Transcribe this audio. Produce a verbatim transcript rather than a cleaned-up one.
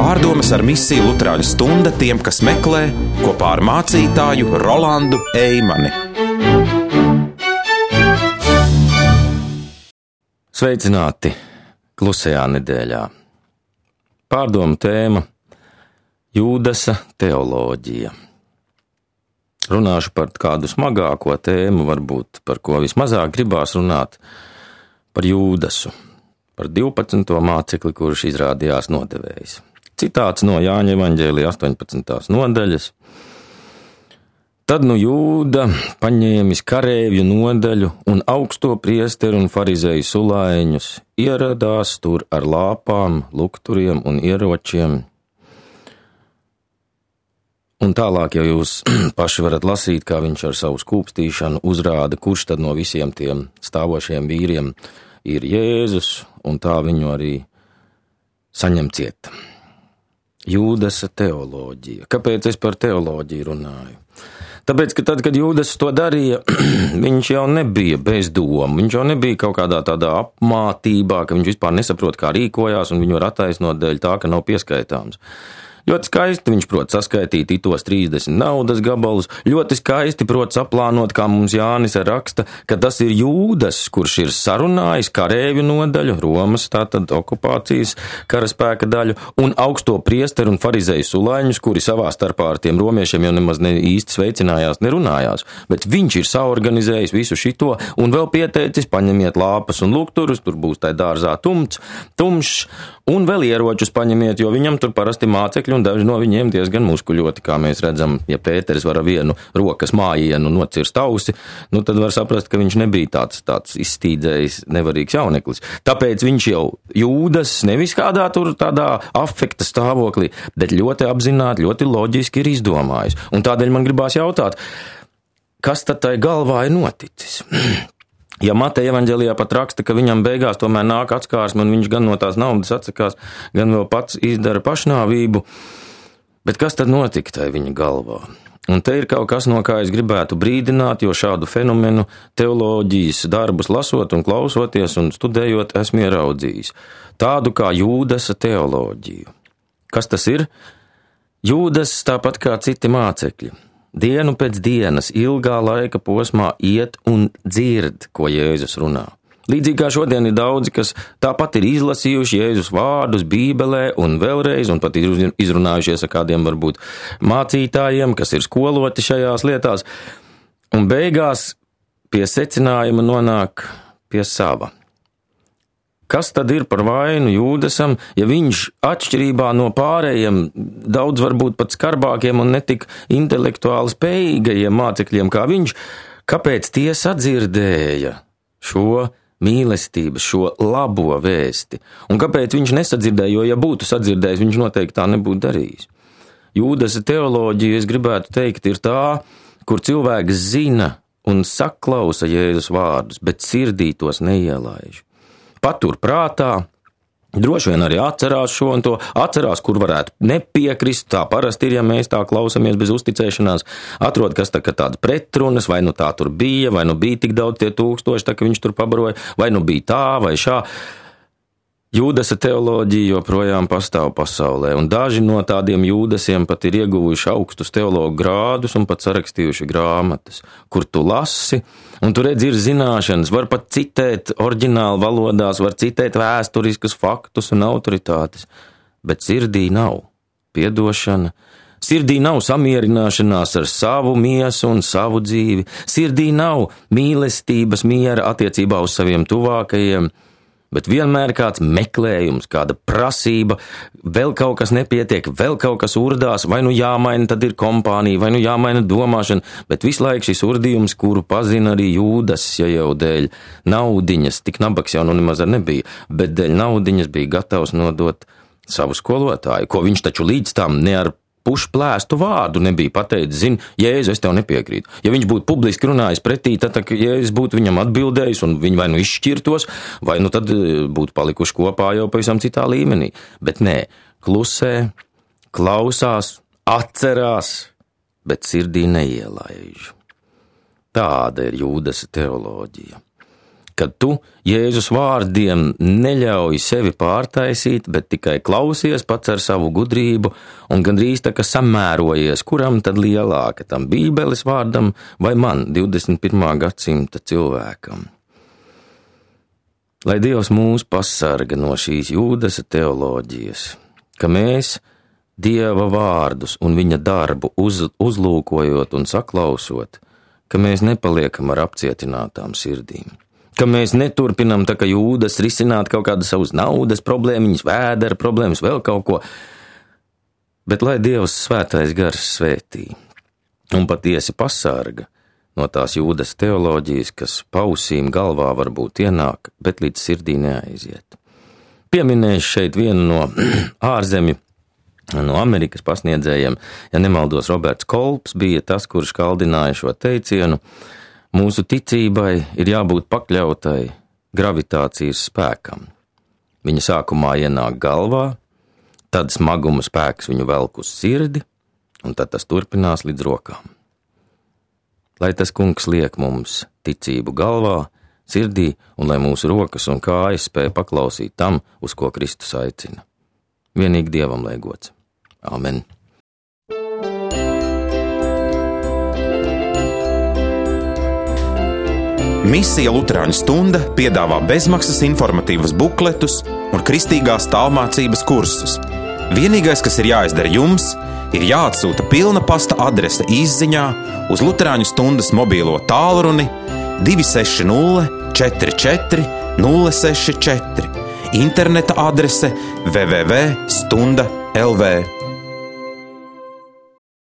Pārdomas ar misiju Luterāņu stunda tiem, kas meklē, kopā ar mācītāju Rolandu Eimani. Sveicināti klusajā nedēļā. Pārdomu tēma – Jūdasa teoloģija. Runāšu par kādu smagāko tēmu, varbūt par ko vismazāk gribās runāt, par Jūdasu, par divpadsmito mācekli, kurš izrādījās nodevējs. Citāts no Jāņa evaņģēlija astoņpadsmitās nodaļas. Tad nu Jūda, paņēmis kareivju nodaļu un augsto priesteru un farizeju sulaiņus, ieradās tur ar lāpām, lukturiem un ieročiem. Un tālāk jau jūs paši varat lasīt, kā viņš ar savu skūpstīšanu uzrāda, kurš tad no visiem tiem stāvošiem vīriem ir Jēzus, un tā viņu arī saņem ciet. Jūdasa teoloģija. Kāpēc es par teoloģiju runāju? Tāpēc, ka tad, kad Jūdas to darīja, viņš jau nebija bez domu, viņš jau nebija kaut kādā tādā apmātībā, ka viņš vispār nesaprot, kā rīkojās, un viņu var attaisnot dēļ tā, ka nav pieskaitāms. Ļoti skaisti viņš prot saskaitīt itos trīsdesmit naudas gabalus, ļoti skaisti prot saplānot, kā mums Jānis raksta, ka tas ir Jūdas, kurš ir sarunājis kareivju nodaļu, Romas tātad okupācijas karaspēka daļu, un augsto priesteru un farizeju sulaiņus, kuri savā starpā ar tiem romiešiem jau nemaz ne īsti sveicinājās, nerunājās, bet viņš ir saorganizējis visu šito un vēl pieteicis, paņemiet lāpas un lukturus, tur būs tai dārzā tumts, tumšs, un vēl ieročus paņemiet, jo viņam tur parasti mācekļi un daži no viņiem diezgan muskuļoti, kā mēs redzam, ja Pēteris var ar vienu rokas mājienu nocirst ausi, nu tad var saprast, ka viņš nebija tāds, tāds izstīdzējis, nevarīgs jauneklis. Tāpēc viņš jau Jūdas nevis kādā tur tādā afekta stāvoklī, bet ļoti apzināti, ļoti loģiski ir izdomājis. Un tādēļ man gribās jautāt, kas tad tai galvā ir noticis? Ja Mateja evaņģēlijā pat raksta, ka viņam beigās tomēr nāk atskārsme un viņš gan no tās naudas atsakās, gan vēl pats izdara pašnāvību, bet kas tad notika tai viņa galvā? Un te ir kaut kas, no kā es gribētu brīdināt, jo šādu fenomenu teoloģijas darbus lasot un klausoties un studējot esmu ieraudzījis. Tādu kā Jūdasa teoloģiju. Kas tas ir? Jūdas tāpat kā citi mācekļi. Dienu pēc dienas, ilgā laika posmā iet un dzird, ko Jēzus runā. Līdzīgi kā šodien ir daudzi, kas tāpat ir izlasījuši Jēzus vārdus Bībelē un vēlreiz, un pat ir izrunājušies ar kādiem varbūt mācītājiem, kas ir skoloti šajās lietās, un beigās pie secinājuma nonāk pie sava. Kas tad ir par vainu Jūdasam, ja viņš atšķirībā no pārējiem, daudz varbūt pat skarbākiem un netik intelektuāli spējīgajiem mācekļiem kā viņš, kāpēc tie sadzirdēja šo mīlestības, šo labo vēsti? Un kāpēc viņš nesadzirdēja, jo ja būtu sadzirdējis, viņš noteikti tā nebūtu darījis. Jūdasa teoloģija, es gribētu teikt, ir tā, kur cilvēks zina un saklausa Jēzus vārdus, bet sirdī tos neielaiž. Patur prātā, droši vien arī atcerās šo un to, atcerās, kur varētu nepiekrist, tā parasti ir, ja mēs tā klausamies bez uzticēšanās, atrod, kas tā, ka tādas pretrunas, vai nu tā tur bija, vai nu bija tik daudz tie tūkstoši, tā, ka viņš tur pabaroja, vai nu bija tā, vai šā. Jūdasa teoloģija joprojām pastāv pasaulē, un daži no tādiem Jūdasiem pat ir ieguvuši augstus teologu grādus un pat sarakstījuši grāmatas, kur tu lasi, un tu redzi ir zināšanas, var pat citēt oriģinālu valodās, var citēt vēsturiskus faktus un autoritātes, bet sirdī nav piedošana, sirdī nav samierināšanās ar savu miesu un savu dzīvi, sirdī nav mīlestības miera attiecībā uz saviem tuvākajiem, bet vienmēr kāds meklējums, kāda prasība, vēl kaut kas nepietiek, vēl kaut kas urdās, vai nu jāmaina, tad ir kompānija, vai nu jāmaina domāšana, bet visu laiku šis urdījums, kuru pazina arī Jūdas, ja jau dēļ naudiņas, tik nabaks jau nu nemaz ar nebija, bet dēļ naudiņas bija gatavs nodot savu skolotāju, ko viņš taču līdz tam ne ar pušplēstu vārdu nebija pateicis, zini, Jēzu, es tev nepiekrītu. Ja viņš būtu publiski runājis pretī, tad, tad Jēzus būtu viņam atbildējis un viņi vai nu izšķirtos, vai nu tad būtu palikuši kopā jau pavisam citā līmenī. Bet nē, klusē, klausās, atcerās, bet sirdī neielaiž. Tāda ir Jūdasa teoloģija. kad tu Jēzus vārdiem neļauj sevi pārtaisīt, bet tikai klausies pats ar savu gudrību un gandrīz tā kā samērojies, kuram tad lielāka, tam Bībeles vārdam vai man, divdesmit pirmā gadsimta cilvēkam. Lai Dievs mūs pasarga no šīs Jūdasa teoloģijas, ka mēs Dieva vārdus un viņa darbu uz, uzlūkojot un saklausot, ka mēs nepaliekam ar apcietinātām sirdīm, ka mēs neturpinam tā kā Jūdas risināt kaut kādas savas naudas problēmiņas, vēdera problēmas, vēl kaut ko, bet lai Dievs svētais gars svētī un patiesi pasarga no tās Jūdas teoloģijas, kas pausīm galvā varbūt ienāk, bet līdz sirdī neaiziet. Pieminēšu šeit vienu no ārzemju, no Amerikas pasniedzējiem, ja nemaldos, Roberts Kolps bija tas, kurš kaldināja šo teicienu: mūsu ticībai ir jābūt pakļautai gravitācijas spēkam. Viņa sākumā ienāk galvā, tad smaguma spēks viņu velk uz sirdi, un tad tas turpinās līdz rokām. Lai tas kungs liek mums ticību galvā, sirdī, un lai mūsu rokas un kājas spēj paklausīt tam, uz ko Kristus aicina. Vienīgi Dievam lai gods. Amen. Misija Luterāņu stunda piedāvā bezmaksas informatīvas bukletus un kristīgās tālmācības kursus. Vienīgais, kas ir jāizdara jums, ir jāatsūta pilna pasta adrese izziņā uz Luterāņu stundas mobīlo tālruni divi seši nulle četri četri nulle seši četri, interneta adrese w w w punkt stunda punkt l v.